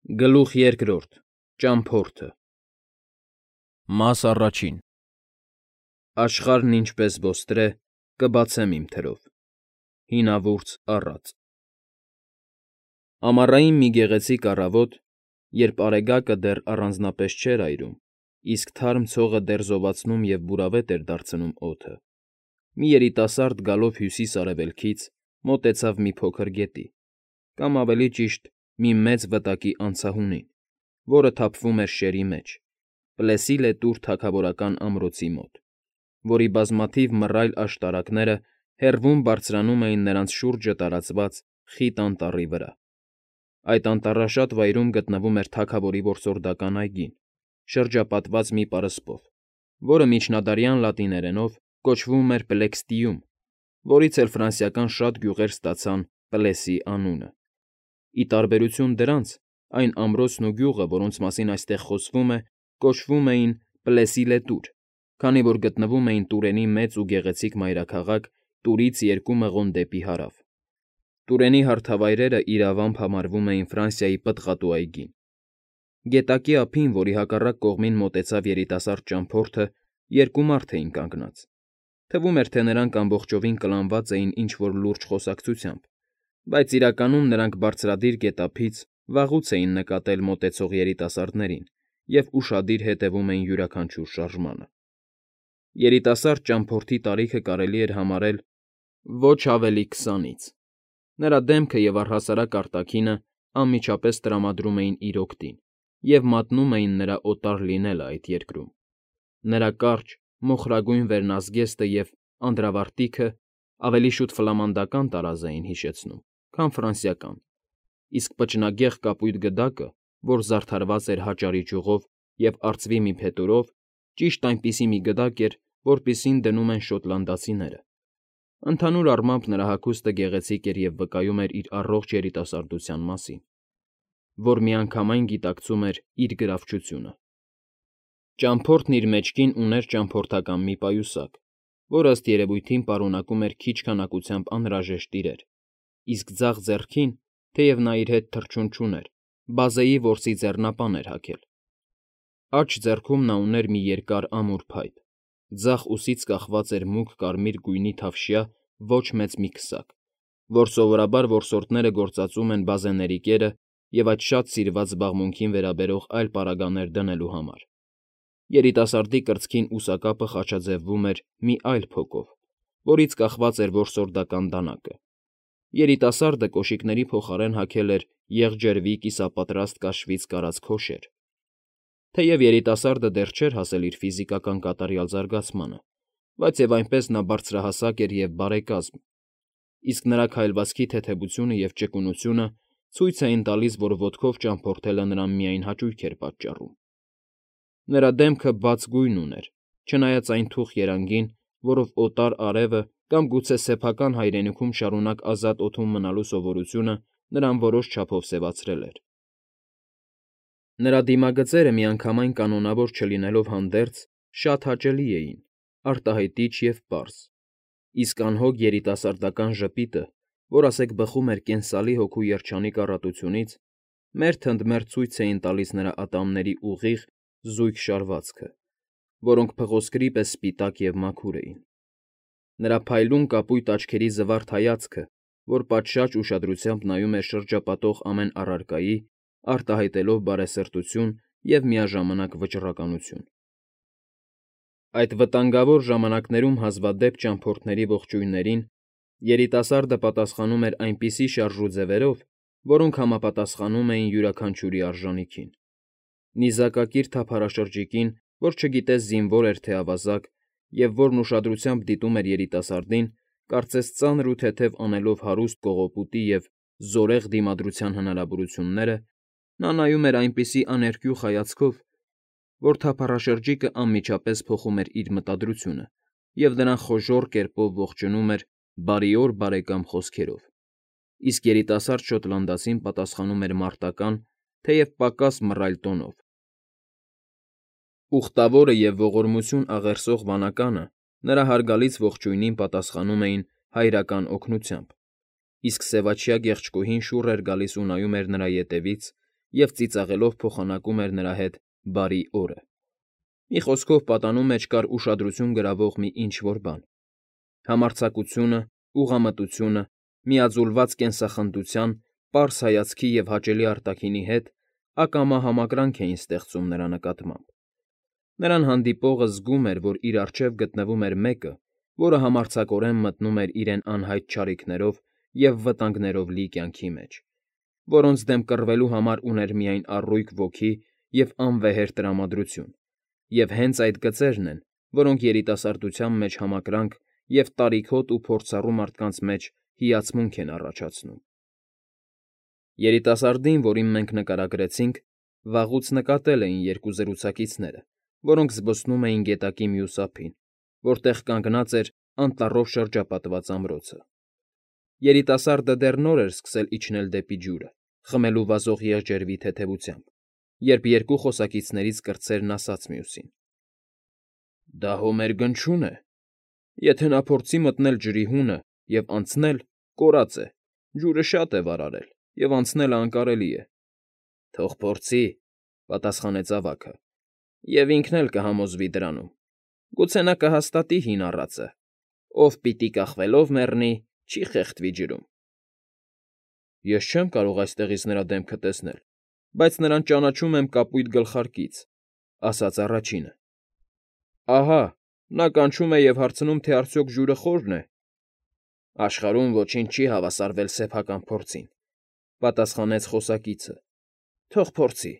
Գլուխ երկրորդ Ճամփորդը Մաս առաջին Աշխարհն ինչպես ոստրե, կբացեմ իմ թրով, հինավուրց առած։ Ամառային մի գեղեցիկ առավոտ, երբ արեգակը դեռ առանձնապես չէր այրում, իսկ թարմ ցողը դեռ զովացնում և բուրավետ էր դարձնում օդը, մի երիտասարդ գալով հյուսիս֊արևելքից մոտեցավ մի փոքր գետի, կամ ավելի ճիշտ մի մեծ վտակի անցահունին, որը թափվում էր շերի մեջ, Պլեսիլետուր թագավորական ամրոցի մոտ, որի բազմաթիվ մռայլ աշտարակները հեռվում բարձրանում էին նրանց շուրջը տարածված խիտ անտառի վրա։ Այդ անտառաշատ վայրում գտնվում էր թագավորի որսորդական այգին, շրջապատված մի պարսպով, որը միջնադարյան լատիներենով կոչվում էր Պլեքստիում, որից էլ ֆրանսիական շատ գյուղեր ստացան Պլեսի անունը։ Ի տարբերություն դրանց, այն ամրոցն ու գյուղը, որոնց մասին այստեղ խոսվում է, կոչվում էին Պլեսիլետուր, քանի որ գտնվում էին Տուրենի մեծ ու գեղեցիկ մայրաքաղաք Տուրից 2 մղոն դեպի հարավ։ Տուրենի հարթավայրերը իրավամբ համարվում էին Ֆրանսիայի պտղատու այգին։ Գետակի ափին, որի հակառակ կողմին մոտեցավ երիտասարդ ճամփորդը, երկու մարդ էին կանգնած։ Թվում էր, թե նրանք ամբողջովին կլանված էին ինչ-որ լուրջ խոսակցությամբ, բայց իրականում նրանք բարձրադիր գետափից վաղուց էին նկատել մոտեցող երիտասարդներին և ուշադիր հետևում էին յուրաքանչյուր շարժմանը։ Երիտասարդ ճամփորդի տարիքը կարելի էր համարել ոչ ավելի 20-ից։ Նրա դեմքը և առհասարակ արտաքինը անմիջապես տրամադրում էին իր օգտին և մատնում էին նրա օտար լինելը այդ երկրում։ Նրա կարճ, մոխրագույն վերնազգեստը և անդրավարտիքը ավելի շուտ ֆլամանդական տարազ էին հիշեցնում, քան ֆրանսիական, իսկ պճնագեղ կապույտ գդակը, որ զարդարված էր հաճարի ճյուղով և արծվի մի փետուրով, ճիշտ այնպիսի մի գդակ էր, որպիսին դնում են շոտլանդացիները։ Ընդհանուր առմամբ նրա հագուստը գեղեցիկ էր և վկայում էր իր առողջ երիտասարդության մասին, որ միանգամայն գիտակցում էր իր գրավչությունը։ Ճամփորդն իր մեջքին ուներ ճամփորդական մի պայուսակ, որ ըստ երևույթին պարունակում էր քիչ քանակությամբ անհրաժեշտ իրեր, իսկ ձախ ձեռքին, թեև նա իր հետ թռչուն չուներ, բազեի որսի ձեռնապան էր հագել։ Աջ ձեռքում նա ուներ մի երկար ամուր փայտ, ձախ ուսից կախված էր մուգ կարմիր գույնի թավշյա ոչ մեծ մի քսակ, որ սովորաբար որսորդները գործածում են բազեների կերը և այդ շատ սիրված զբաղմունքին վերաբերող այլ պարագաներ դնելու համար։ Երիտասարդի կրծքին ուսակապը խաչաձևվում էր մի այլ փոկով, որից կախված էր որսորդական դանակը։ Երիտասարդը կոշիկների փոխարեն հագել էր եղջերվի կիսապատրաստ կաշվից կարած քոշեր։ Թեև երիտասարդը դեռ չէր հասել իր ֆիզիկական կատարյալ զարգացմանը, բայց և այնպես նա բարձրահասակ էր և բարեկազմ, իսկ նրա քայլվածքի թեթևությունը և ճկունությունը ցույց էին տալիս, որ ոտքով ճամփորդելը նրան միայն հաճույք էր պատճառում։ Նրա դեմքը բաց գույն ուներ, չնայած այն թուխ երանգին, որով օտար արևը կամ գուցե սեփական հայրենիքում շարունակ ազատ օդում մնալու սովորությունը նրան որոշ չափով սևացրել էր։ Նրա դիմագծերը միանգամայն կանոնավոր չլինելով հանդերձ, շատ հաճելի էին, արտահայտիչ և պարզ, իսկ անհոգ երիտասարդական ժպիտը, որ ասեք բխում էր կենսալի հոգու երջանիկ առատությունից, մերթ ընդ մերթ ցույց էին տալիս նրա ատամների ուղիղ, զույգ շարվածքը, որոնք փղոսկրի պես սպիտակ և մաքուր էին։ Նրա փայլուն կապույտ աչքերի զվարթ հայացքը, որ պատշաճ ուշադրությամբ նայում էր շրջապատող ամեն առարկայի, արտահայտելով բարեսրտություն և միաժամանակ վճռականություն։ Այդ վտանգավոր ժամանակներում հազվադեպ ճամփորդների ողջույններին երիտասարդը պատասխանում էր այնպիսի շարժ ու ձևերով, որոնք համապատասխանում էին յուրաքանչյուրի արժանիքին։ Նիզակակիր թափառաշրջիկին, որ չգիտես զինվոր էր թե ավազակ, և որն ուշադրությամբ դիտում էր երիտասարդին, կարծես ծանր ու թեթև անելով հարուստ կողոպուտի և զորեղ դիմադրության հնարավորությունները, նա նայում էր այնպիսի աներկյուղ հայացքով, որ թափառաշրջիկը անմիջապես փոխում էր իր մտադրությունը և նրան խոժոռ կերպով ողջունում էր «Բարի օր, բարեկամ» խոսքերով, իսկ երիտասարդ շոտլանդացին պատասխանում էր մարտական, թեև պակաս մռայլ տոնով։ Ուխտավորը և ողորմություն աղերսող վանականը նրա հարգալից ողջույնին պատասխանում էին հայրական օգնությամբ, իսկ սևաչյա գեղչկուհին շուռ էր գալիս ու նայում էր նրա ետևից և ծիծաղելով փոխանակում էր նրա հետ բարի օրը։ Մի խոսքով պատանու մեջ կար ուշադրություն գրավող մի ինչ֊որ բան։ Համարձակությունը, ուղղամտությունը, միաձուլված կենսախնդության, պարզ հայացքի և հաճելի արտաքինի հետ ակամա համակրանք էին ստեղծում նրա նկատմամբ։ Նրան հանդիպողը զգում էր, որ իր առջև գտնվում էր մեկը, որը համարձակորեն մտնում էր իրեն անհայտ չարիքներով և վտանգներով լի կյանքի մեջ, որոնց դեմ կռվելու համար ուներ միայն առույգ ոգի և անվեհեր տրամադրություն, և հենց այդ գծերն են, որոնք երիտասարդության մեջ համակրանք և տարիքհոտ ու փորձառու մարդկանց մեջ հիացմունք են առաջացնում։ Երիտասարդին, որին մենք նկարագրեցինք, վաղուց նկատել էին երկու զրուցակիցները, որոնք զբոսնում էին գետակի մյուս ափին, որտեղ կանգնած էր անտառով շրջապատված ամրոցը։ Երիտասարդը դեռ նոր էր սկսել իջնել դեպի ջուրը, խմելու վազող եղջերվի թեթևությամբ, երբ երկու խոսակիցներից կրտսերն ասաց մյուսին. «Դա հո մեր գնչուն է։ Եթե նա փորձի մտնել ջրի հունը և անցնել, կորած է, ջուրը շատ է վարարել, և անցնելը անկարելի է»։ «Թող փորձի», պատասխանեց ավագը, «և ինքն էլ կհամոզվի դրանում։ Գուցե նա կհաստատի հին առածը. ով պիտի կախվելով մեռնի, չի խեղդվի ջրում»։ «Ես չեմ կարող այստեղից նրա դեմքը տեսնել, բայց նրան ճանաչում եմ կապույտ գլխարկից», ֊ ասաց առաջինը։ «Ահա, նա կանչում է և հարցնում, թե արդյոք ջուրը խորն է»։ «Աշխարհում ոչինչ չի հավասարվել սեփական փորձին», ֊ պատասխանեց խոսակիցը։ «Թող փորձի»։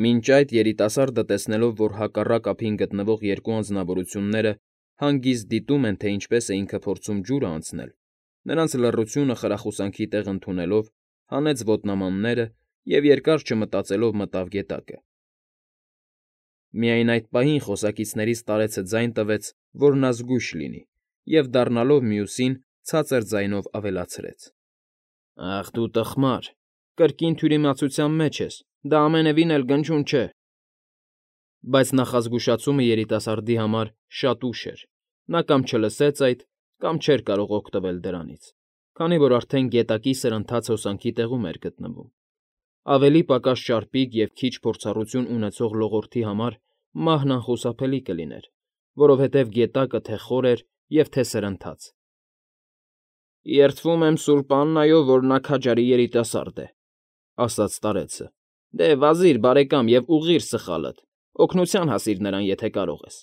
Մինչ այդ երիտասարդը տեսնելով, որ հակառակ ափին գտնվող երկու անձնավորությունները հանգիստ դիտում են, թե ինչպես է ինքը փորձում ջուրը անցնել, նրանց լռությունը խրախուսանքի տեղ ընդունելով, հանեց ոտնամանները և երկար չմտածելով մտավ գետակը։ Միայն այդ պահին խոսակիցներից տարեցը ձայն տվեց, որ նա զգույշ լինի, և, դառնալով մյուսին, ցածր ձայնով ավելացրեց. «Ախ դու տխմար, կրկին թյուրիմացության մեջ ես, դա ամենևին էլ գնչուն չէ»։ Բայց նախազգուշացումը երիտասարդի համար շատ ուշ էր. նա կամ չլսեց այդ, կամ չէր կարող օգտվել դրանից, քանի որ արդեն գետակի սրընթաց հոսանքի տեղում էր գտնվում։ Ավելի պակաս ճարպիկ և քիչ փորձառություն ունեցող լողորդի համար մահն անխուսափելի կլիներ, որովհետև գետակը թե խոր էր և թե սրընթաց։ «Երդվում եմ Սուրբ Աննայով, որ նա քաջարի երիտասարդ է», ֊ ասաց старեցը։ «Դե, վազիր, բարեկամ, և ուղղիր սխալդ, օգնության հասիր նրան, եթե կարող ես։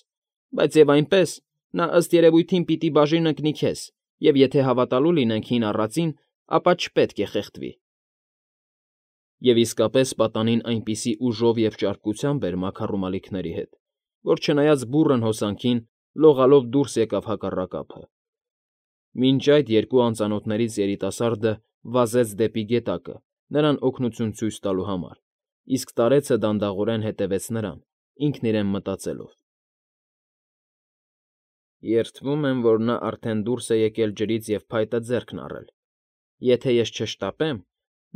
Բայց և այնպես, նա ըստ երևույթին պիտի բաժին ընկնի քեզ, և եթե հավատալու լինենք հին առածին, ապա չպետք է խեղդվի»։ Եվ իսկապես պատանին այնպիսի ուժով և ճարպկությամբ էր մաքարում ալիքների հետ, որ չնայած բուռն հոսանքին, լողալով դուրս եկավ հակառակ ափը։ Մինչ այդ երկու անծանոթներից երիտասարդը վազեց դեպի գետակը, նրան օգնություն ցույց տալու համար, իսկ տարեցը դանդաղորեն հետևեց նրան, ինքն իրեն մտածելով. «Երդվում եմ, որ նա արդեն դուրս է եկել ջրից և փայտը ձեռքն առել։ Եթե ես չշտապեմ,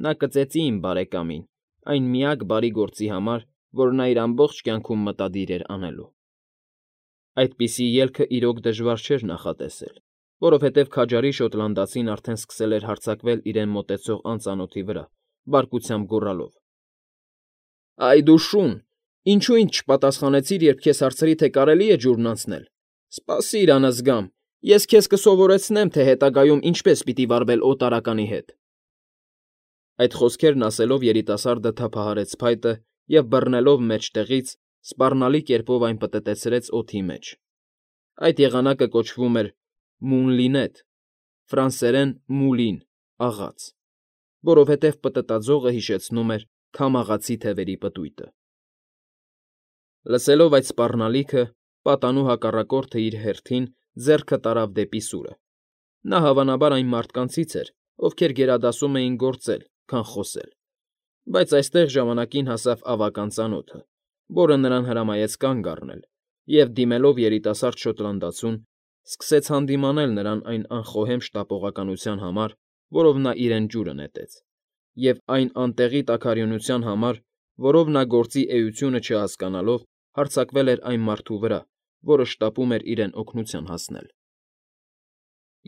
նա կծեծի իմ բարեկամին այն միակ բարի գործի համար, որ նա իր ամբողջ կյանքում մտադիր էր անելու»։ Այդպիսի ելքը իրոք դժվար չէր նախատեսել, որովհետև քաջարի շոտլանդացին արդեն սկսել էր հարձակվել իրեն մոտեցող անծանոթի վրա, բարկությամբ գոռալով. «Այ դու շուն, ինչո՞ւ ինձ չպատասխանեցիր, երբ քեզ հարցրի, թե կարելի է ջուրն անցնել։ Սպասիր, անզգամ, ես քեզ կսովորեցնեմ, թե հետագայում ինչպես պիտի վարվել օտարականի հետ»։ Այդ խոսքերն ասելով երիտասարդը թափահարեց փայտը և, բռնելով մեջտեղից, սպառնալի կերպով այն պտտեցրեց օդի մեջ։ Այդ եղանակը կոչվում էր «մունլինետ», ֆրանսերեն «մուլին» աղաց, որովհետև պտտաձողը հիշեցնում էր քամաղացի թևերի պտույտը։ Լսելով այդ սպառնալիքը, պատանու հակառակորդը իր հերթին ձեռքը տարավ դեպի սուրը։ Նա հավանաբար այն մարդկանցից էր, ովքեր գերադասում էին գործել, քան խոսել։ Բայց այստեղ ժամանակին հասավ ավագ անծանոթը, որը նրան հրամայեց կանգ առնել և, դիմելով երիտասարդ շոտլանդացուն, սկսեց հանդիմանել նրան այն անխոհեմ շտապողականության համար, որով նա իրեն ջուրը նետեց, և այն անտեղի տաքարյունության համար, որով նա գործի էությունը չհասկանալով հարձակվել էր այն մարդու վրա, որը շտապում էր իրեն օգնության հասնել։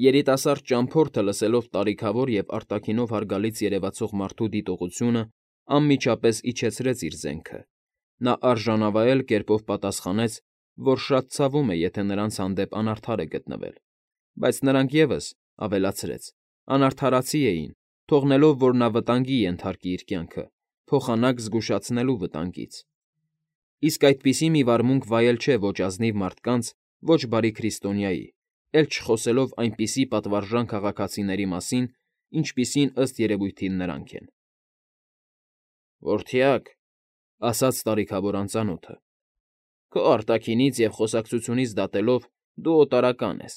Երիտասարդ ճամփորդը, լսելով տարիքավոր և արտաքինով հարգալից երևացող մարդու դիտողությունը, անմիջապես իջեցրեց իր զենքը։ Նա արժանավայել կերպով պատասխանեց, որ շատ ցավում է, եթե նրանց հանդեպ անարդար է գտնվել, բայց նրանք ևս, ավելացրեց, անարդարացի էին, թողնելով, որ նա վտանգի ենթարկի իր կյանքը, փոխանակ զգուշացնելու վտանգից։ Իսկ այդպիսի մի վարմունք վայել չէ ոչ ազնիվ մարդկանց, ոչ բարի քրիստոնյայի, էլ չխոսելով այնպիսի պատվարժան քաղաքացիների մասին, ինչպիսին ըստ երևույթին նրանք են։ «Որդյակ,֊ ասաց տարիքավոր անծանոթը,֊ քո արտաքինից և խոսակցությունից դատելով դու օտարական ես,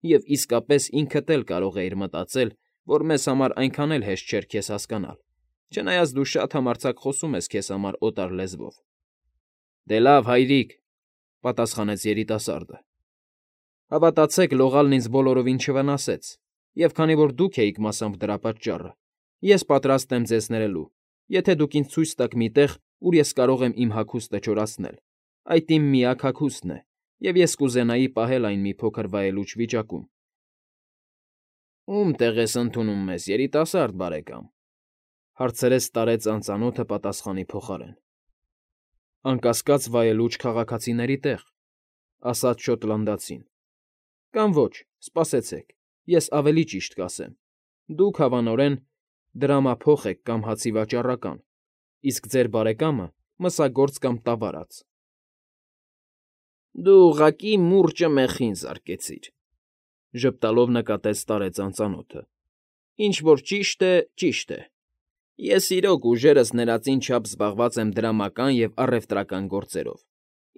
և իսկապես ինքդ էլ կարող էիր մտածել, որ մեզ համար այնքան էլ հեշտ չէր քեզ հասկանալ, չնայած դու շատ համարձակ խոսում ես քեզ համար օտար լեզվով»։ «Դե լավ, հայրիկ,֊ պատասխանեց երիտասարդը,֊ հավատացեք, լողալն ինձ բոլորովին չվնասեց, և քանի որ դուք էիք մասամբ դրա պատճառը, ես պատրաստ եմ ձեզ ներելու, եթե դուք ինձ ցույց տաք մի տեղ, ուր ես կարող եմ իմ հագուստը չորացնել, այդ իմ միակ հագուստն է, և ես կուզենայի պահել այն մի փոքր վայելուչ վիճակում»։ «Ո՞ւմ տեղ ես ընդունում մեզ, երիտասարդ բարեկամ,֊ հարցրեց տարեց անծանոթը պատասխանի փոխարեն։ «Անկասկած վայելուչ քաղաքացիների տեղ,֊ ասաց շոտլանդացին,֊ կամ ոչ, սպասեցեք, ես ավելի ճիշտ կասեմ. դուք, հավանորեն, դրամափոխ եք կամ հացի վաճառական, իսկ ձեր բարեկամը՝ մսագործ կամ տավարած»։ «Դու ուղղակի մուրճը մեխին զարկեցիր,֊ ժպտալով նկատեց տարեց անծանոթը,֊ ինչ որ ճիշտ է, ճիշտ է. ես իրոք ուժերս ներածին չափ զբաղված եմ դրամական և առևտրական գործերով,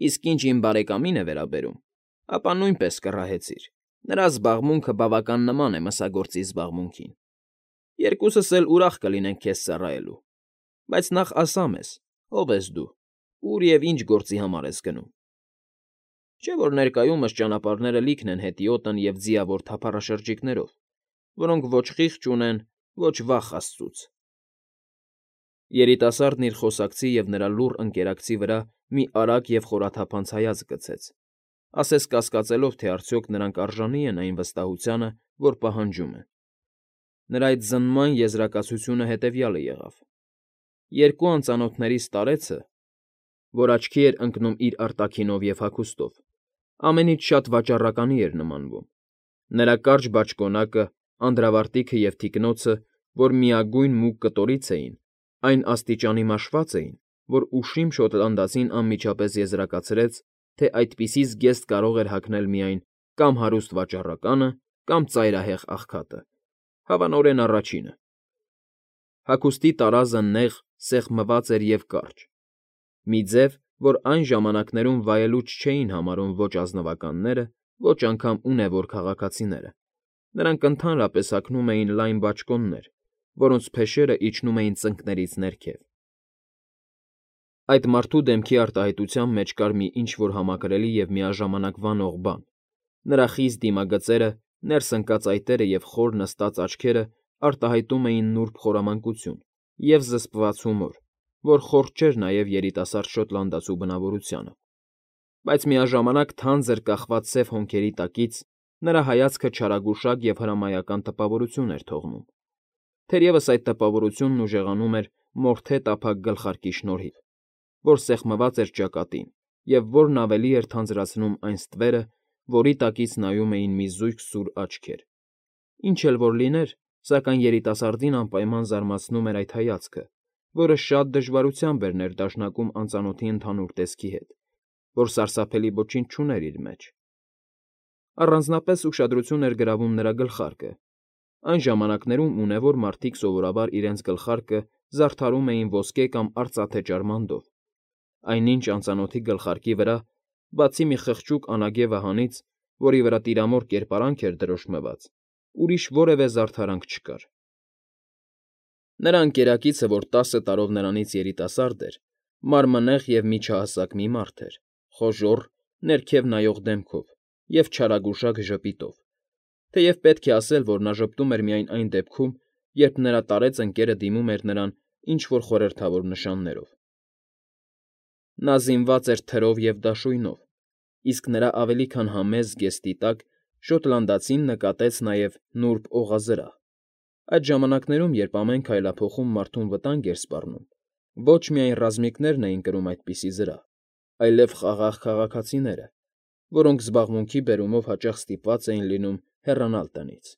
իսկ ինչ իմ բարեկամին է վերաբերում, ապա նույնպես կռահեցիր, նրա զբաղմունքը բավական նման է մսագործի զբաղմունքին։ Երկուսս էլ ուրախ կլինենք քեզ ծառայելու, բայց նախ ասա մեզ, ով ես դու, ուր և ինչ գործի համար ես գնում։ Չէ՞ որ ներկայումս ճանապարհները լիքն են հետիոտն և ձիավոր թափառաշրջիկներով, որոնք ոչ խիղճ ունեն, ոչ վախ աստծուց»։ Երիտասարդն իր խոսակցի և նրա լուռ ընկերակցի վրա մի արագ և խորաթափանց հայացք գցեց, ասես կասկածելով, թե արդյոք նրանք արժանի են այն վստահությանը, որ պահանջում են։ Նրա այդ զննման եզրակացությունը հետևյալը եղավ. երկու անծանոթներից տարեցը, որ աչքի էր ընկնում իր արտաքինով և հագուստով, ամենից շատ վաճառականի էր նմանվում։ Նրա կարճ բաճկոնակը, անդրավարտիքը և թիկնոցը, որ միագույն մուգ կտորից էին, այն աստիճանի մաշված էին, որ ուշիմ շոտլանդացին անմիջապես եզրակացրեց, թե այդպիսի զգեստ կարող էր հագնել միայն կամ հարուստ վաճառականը, կամ ծայրահեղ աղքատը, հավանորեն առաջինը։ Հագուստի տարազը նեղ, սեղմված էր և կարճ, մի ձև, որ այն ժամանակներում վայելուչ չէին համարում ոչ ազնվականները, ոչ անգամ ունևոր քաղաքացիները. նրանք ընդհանրապես հագնում էին լայն բաճկոններ, որոնց փեշերը իջնում էին ծնկներից ներքև։ Այդ մարդու դեմքի արտահայտության մեջ կար մի ինչ֊որ համակրելի և միաժամանակ վանող բան. նրա խիստ դիմագծերը, ներս ընկած այտերը և խոր նստած աչքերը արտահայտում էին նուրբ խորամանկություն և զսպված հումոր, որ խորթ չէր նաև երիտասարդ շոտլանդացու բնավորությանը։ Բայց միաժամանակ թանձր կախված սև հոնքերի տակից նրա հայացքը չարագուշակ և հրամայական տպավորություն էր թողնում։ Թերևս այդ տպավորությունն ուժեղանում էր մորթե տափակ գլխարկի շնորհիվ, որ սեղմված էր ճակատին և որն ավելի էր թանձրացնում այն ստվերը, որի տակից նայում էին մի զույգ սուր աչքեր։ Ինչ էլ որ լիներ, սակայն երիտասարդին անպայման զարմացնում էր այդ հայացքը, որը շատ դժվարությամբ էր ներդաշնակում անծանոթի ընդհանուր տեսքի հետ, որ սարսափելի ոչինչ չուներ իր մեջ։ Առանձնապես ուշադրություն էր գրավում նրա գլխարկը։ Այն ժամանակներում ունևոր մարդիկ սովորաբար իրենց գլխարկը զարդարում էին ոսկե կամ արծաթե ճարմանդով, այնինչ անծանոթի գլխարկի վրա, բացի մի խղճուկ անագե վահանից, որի վրա տիրամոր կերպարանք էր դրոշմված, ուրիշ որևէ զարդարանք չկար։ Նրա ընկերակիցը, որ 10 տարով նրանից երիտասարդ էր, մարմնեղ և միջահասակ մի մարդ էր, խոժոռ, ներքև նայող դեմքով և չարագուշակ ժպիտով, թեև պետք է ասել, որ նա ժպտում էր միայն այն դեպքում, երբ նրա տարեց ընկերը դիմում էր նրան ինչ֊որ խորհրդավոր նշաններով։ Նա զինված էր թրով և դաշույնով, իսկ նրա ավելի քան համեստ զգեստի տակ շոտլանդացին նկատեց նաև նուրբ օղազրահ։ Այդ ժամանակներում, երբ ամեն քայլափոխում մարդուն վտանգ էր սպառնում, Ոչ միայն ռազմիկներն էին կրում այդպիսի զրահ, այլև խաղաղ քաղաքացիները, որոնք զբաղմունքի բերումով հաճախ ստիպված էին լինում հեռանալ տնից։